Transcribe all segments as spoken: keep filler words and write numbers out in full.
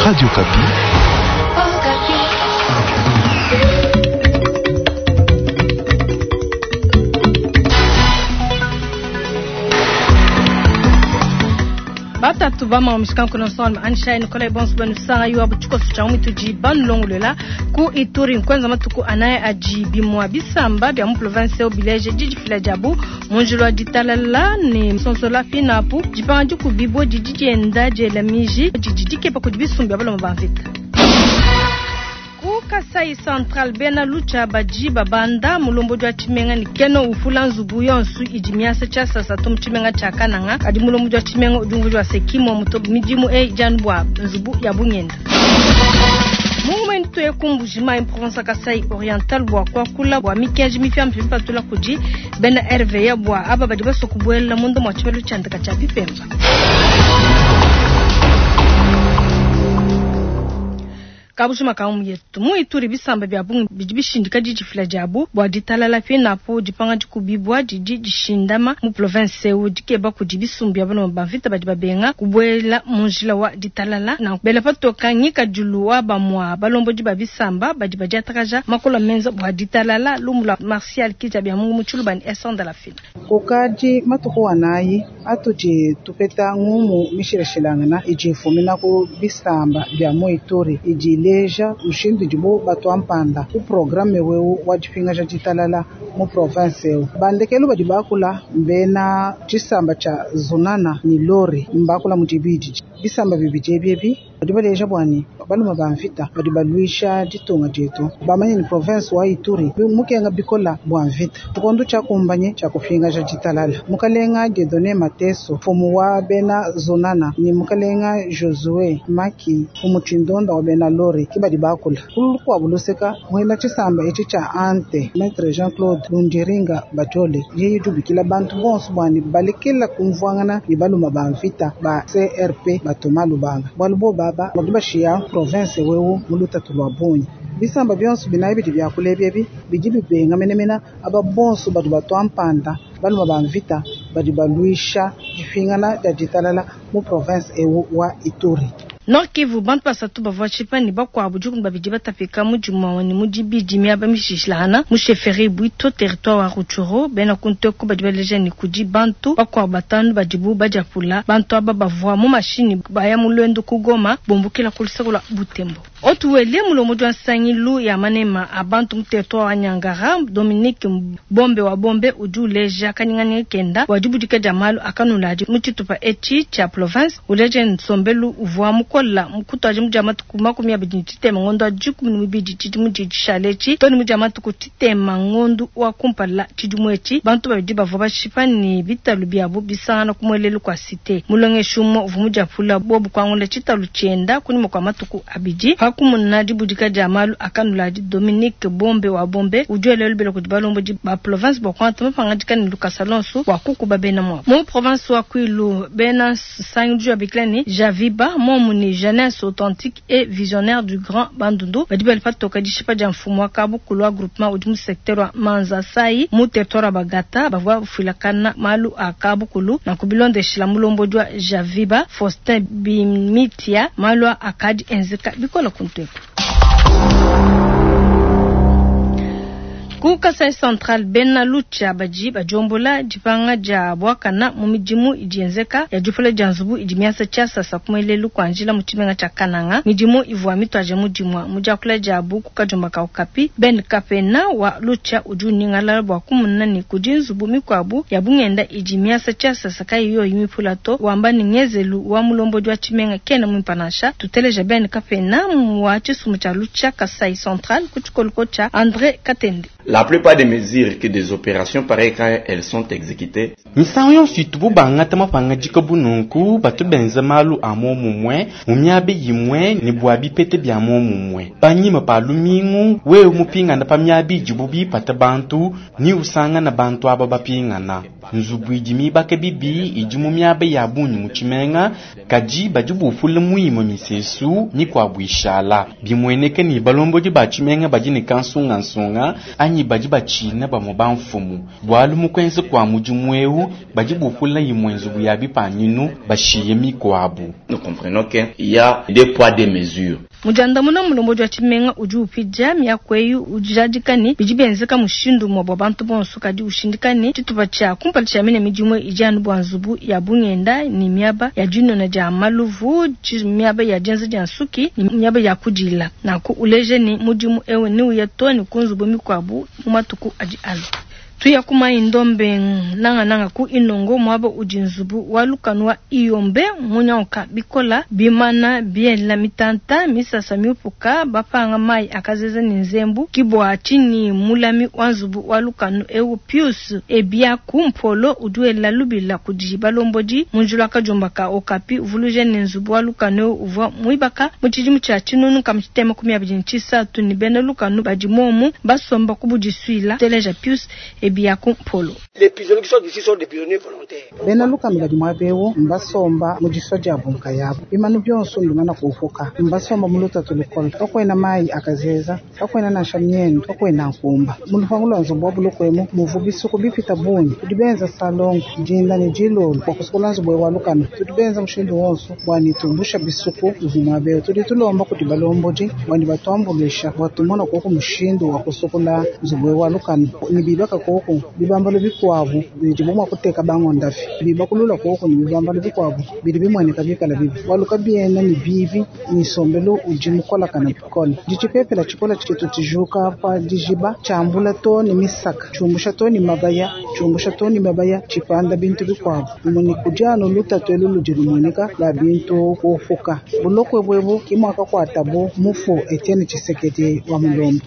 Radio Okapi. Batatu bama miskanku na son ansha Nikolai Bonso banu sanga yuwa buchikoso cha umituji banulongolela ku Ituri nkwenza matuku anaye aji bimwa bisamba bya mu province obileje jiji fila jabu munjilo ditalala ni sonsola finapu jipanga jikubibo jiji jenda jela miji jiji dikepa kudibisumbya baloma bamvita Kasai Central bena lucha baji babanda mulombo jwa chimenga ni keno ufula nzubu yonsu ijimiasa cha sasa tomu chimenga cha kananga adi mulombo jwa chimenga ujungu jwa sekimo muto mijimu e janbwa nzubu ya bunyenda Mungu mwentu ekumbu jima in province Kasai Oriental bwa kwa kula bwa mikenji mifya mpipatula kuji bena R V ya bwa aba badi baso kubwela mundo mwa chimelu chandika cha pipemba Kabushuma kaumu yetu mu Ituri bisamba bya bungi bidibishindika jijifila jabu bwa ditalala finapo dipanga dikubibwa didi dishindama mu province eu dikeba kudi bisumbu bya bano bamvita badi babenga kubwela munjila wa ditalala na bela patoka nyika julu wa bamwa balombo di babisamba badi badiatakaja makola menza bwa ditalala lumula Martial kija bya mungu muchulu bani esonda la fina kokadi matuku wanayi atuji tupeta ngumu mishilashilangana ijifumina ku bisamba bya mu Ituri iji leja mushindu dibo batwampanda ku programme wewu wa dipinga ja ditalala mu province eu bandekelu badi bakula mbena tshisamba tsha zunana ni lori mbakula mu dibidi bisamba bibidi ebiebi badi baleja bwani baluma ba mvita badi balwisha ditunga dietu bamanye ni province wa Ituri mukenga bikola bwa mvita tukondo tsha kumbanye tsha kupinga ja ditalala mukalenga Dieudonné Mateso fumu wa bena zunana ni mukalenga Josue Maki fumu tshindonda wa bena lori kibadi bakula kulukwa buluseka mwela tshisamba etshi tsha ante Maître Jean-Claude Lundiringa Bajole yeye dubikila bantu bonso bwani balekela kumvwangana ni baluma ba mvita ba C R P batoma lubanga bwalubo baba badi bashiya province wewu mulutatu lwa bunyi bisamba byonso binayi bidi byakulebya bi bidi bibenga menemena aba bonso badi batwampanda baluma ba mvita badi balwisha difingana dia ditalala mu province ewu wa Ituri. Nord Kivu bantu basatu bavua tshipani bakuabu dikumi babidi batapika mu dimua ne mu dibidi miaba mishishilangana mu chefferie Bwito territoire wa Rutshuru bena kunteko badi baleja ne kudi bantu bakuabu batanu badibu badiapula bantu aba bavua mu mashini baya mu lwendo ku Goma bombukila ku luseko lwa Butembo. Otuwele mulomo jwa nsangilu ya manema a bantu mu territoire wa Nyangara Dominique Bombe wa Bombe udi uleja kanyinganyinga kenda wadibudika dia malu akanuladi mu tshitupa etshi tsha province uleja nsombelu uvua mukola mukutwaji mudia matuku makumi abidi ne tshitema ngondo wa dikumi ne mibidi tshidimu tshidi etshi toni mudia matuku tshitema ngondo wa kumpala tshidimu etshi bantu babidi bavua bashipa ne bitalu biabu bisangana ku muelelu kwa cité mulongeshi umue uvua mudiapula bobu kuangula tshitalu tshienda kunyima kua matuku abidi pakumuna dibudika dia malu akanuladi Dominique Bombe wa Bombe udi elelu bela kudi balombo di ba province bua kuangata mapangadika ne Lucas Alonso wa kukuba bena mwabo mu province wa Kwilu bena sangilu ya biklani Javiba momu ni jeunesse authentique et visionnaire du Grand Bandundu badi bali patoka dishipa dia mfumu wa kabukulu wa groupement udi mu secteur wa Manzasai mu territoire wa Bagata bavua bafilakana malu a kabukulu na kubilondeshila mulombo jwa Javiba Faustin Bimitia malu akadi enzeka bikola kuntwepo. Ku Kasai Central bena lucha baji bajombola dipanga dia bwakana mu midimu idienzeka ya dipula dia nzubu idi miasa tshia sasa kumelelu kwa njila mu tshimenga tshia Kananga midimu ivua mitwaje mudimua mudiakula dia buku kajumba ka Okapi Ben Kapena wa lucha udi uningala bwa kumuna ni kudi nzubu mikuabu ya bungenda idi miasa tshia sasa kayiyo yimipula to wamba ni ngezelu wa mulombo jwa tshimenga kena mwimpanasha tuteleja Ben Kapena wa tshisumu tshia lucha Kasai Central ku tshikoluko tshia André Katende. La plupart des mesures que des opérations pareilles quand elles sont exécutées. Misango yonso itubu bangata mapanga dika bununku batu benza malu a momumwe mu miaba yimwe ne bua bipete bia momumwe panyima pa lumingu wewe mupingana pa miaba idibu bipata bantu ni usangana bantu aba bapingana nzubu idi mibaka bibi idi mu miaba ya bungi mu tshimenga kadi badi bufula muimue misesu mikuabu ishala bimueneke ni balombodi ba tshimenga badi ne kansungansunga anyi Anyi badi batshina bamue bamfumu, bualu mu kuenza kua mudimu eu badi bupula imue nzubu ya bipanyinu bashiye mikuabu. Nous comprenons qu'il y a deux poids deux mesures. Mu diandamuna mulombodi wa tshimenga udi upidia miaku eyi, ujadika ne bidi bienzeka mushindu umue bua bantu bonso, kadi ushindika ne tshitupa tshia kumpala tshia mine midimu idi anu bua nzubu ya bungenda ne miaba ya dinona dia maluvu, miaba ya dienza dia nsuki ne miaba ya kudila. Nanku uleje ne mudimu eu neuye too ne ku nzubu mikuabu mu matuku adi alua. Tuya ku Mai Ndombe, nangananga ku Inongo, muaba udi nzubu wa lukanu wa Iyombe munyanguka bikola, bimana biela mitanta, misasa miupuka, bapanga mai akazeza ne nzembu. Ke bua tshinyi mulami wa nzubu wa lukanu eu Pius Ebiaku Mpolo udi wela lubila kudi balombodi mu njila kadiomba ka Okapi, uvuluija ne nzubu wa lukanu eu uvua muibaka mu tshidimu tshia tshinunu nkama tshitema makumi abidi ne tshisatu ne bena lukanu badi momu basomba ku budisuila. Teleja Pius Ebiaku Mpolo. Les prisonniers qui sont ici sont des prisonniers volontaires. Bena lukanu badi muaba eu mbasomba mu disua diabu nkayabu, bimanu bionso mbimana kuupuka, mbasomba mu lutatu lukole, kakuena mayi akazeza, kakuena nansha miendu, kakuena nkumba. Mu lupangu lua nzubu wa buloko emu muvu bisuku bipita bungi, tudi benza salongo dinda ne dilolo bua kusukula nzubu wa lukanu, tudi benza mushindu wonso bua nitumbusha bisuku bivua muaba eu. Tudi tulomba kudi balombodi bua ne batuambuluisha bua tumona koku mushindu wa kusukula nzubu wa lukanu ne bibaka koku bibambalo bikuabu bidibo mua kuteka bangondavi, bibakulula koku ne bibambalo bikuabu bidi bimueneka bikala bibi, bualu kabiena ne bibi ni nsombelu udi mukolakana bikole. Ditshipepela tshikola tshitu tshijuka pa dijiba tshiambula to ne misaka, tshiumbusha to ne mabaya, tshiumbusha to ne mabaya, tshipanda bintu bikuabu. Muni kudi anu lutatu elu ludi lumueneka lua bintu kuupuka. Buloko ebu ke muakakuatabu mufu Etienne Tshisekedi wa Mulombo.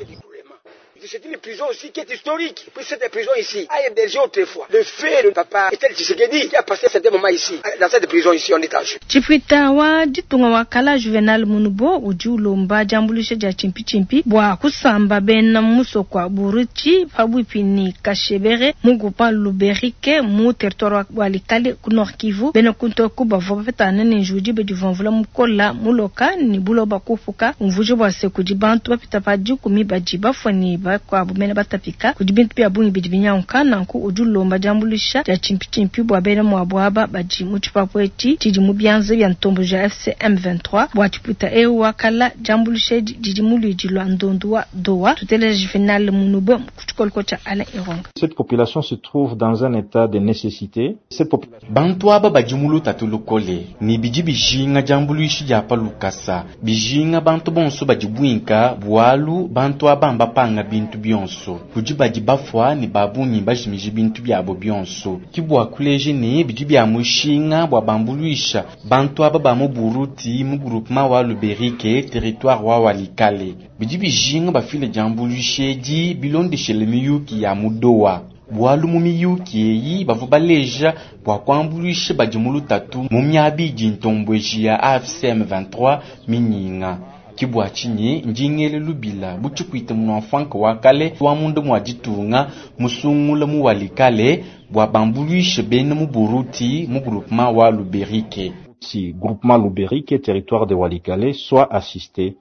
C'est une prison aussi qui est historique. Puis cette prison ici a hébergé autrefois le frère de papa Etienne Tshisekedi qui a passé certains moments ici, dans cette prison ici en détention. Tshipwita wa ditunga wa kala Juvenal Munubo udi ulomba diambuluisha dia tshimpitshimpi bua kusamba bena musoko wa Buruti pabuipi ne Kashebere mu groupement Luberike mu territoire wa Walikale ku Nord Kivu. Bena kuntoku bavua bapetana ne njuwu diba divua mvula mukola muloka ne buloba kupuka, umvuija bua se kudi bantu bapita pa dikumi badi bafua ne bakuabu mene batapika, kudi bintu bia bungi bidi binyanguka. Nanku udi ulomba diambuluisha dia tshimpitshimpi bua bena muabu aba badi mu tshipapu etshi tshidi mu bianza bia ntomboji ya A F C M vingt-trois. Bua tshipwita eu wa kala, diambuluisha edi didi mu luidi lua ndondu wa Doha. Tuteleja Juvenal Munubo ku tshikoloko tshia Alain Ironga. Cette population se trouve dans un état de nécessité. Cette population Bantu aba badi mu lutatu lukole ne bidi bijinga diambuluisha dia pa lukasa, bijinga bantu bonso badi buinka, bualu bantu aba mbapanga bintu bionso, kudi badi bafua ne babungi bajimija bintu biabo bionso. Ke bua kuleja ne bidi bia mushinga bua bambuluisha bantu aba ba mu Buruti mu groupement wa Luberike, territoire wa Walikale. Bidi bijinga bafile diambuluisha edi bilondeshele miyuki ya mu Doha, bualu mu miyuki eyi bavua baleja bua kuambuluisha badi mu lutatu mu miaba idi ntomboji ya A F C M vingt-trois minyinga. Ke bua tshinyi ndingele lubila bu tshipwita munua wa kale wa munda mua ditunga musungula mu Walikale bua bambuluishe bena mu Buruti mu groupement wa Luberike. Si groupement Luberike, territoire de Walikale, soit assisté.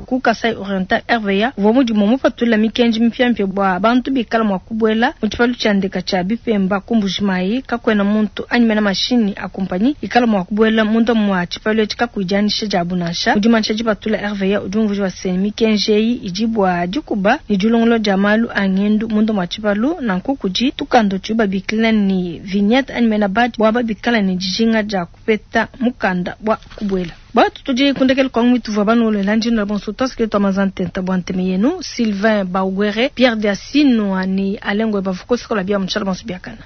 Ku Kasai Oriental, R V A uvua mudimu mupatula mikenji mipiamipia bua bantu bikala mua kubuela mu tshipalu tshia ndeka tshia Bipemba ku Mbujimayi. Kakuena muntu anyi mena mashinyi a kumpanyi ikala mua kubuela munda mua tshipalu etshi kakuyi dianyisha diabu nansha. Mu dimanyisha dipatula, R V A udi umvuija bua se mikenji eyi idi bua dikuba ne dilongolola dia malu a ngendu munda mua tshipalu. Nanku kudi tukanda tudi babikila ne vignette anyi mena badge bua babikala ne dijinga dia kupeta mukanda bua kubuela. Batu tudi kundekela kwangu mituvua banuolela ndino bonso twasike twamaza ntenta bua nteme yenu Sylvain Baugwere, Pierre Diasino ani Alengwe bavukosi kola bia mutshala bonso biakana.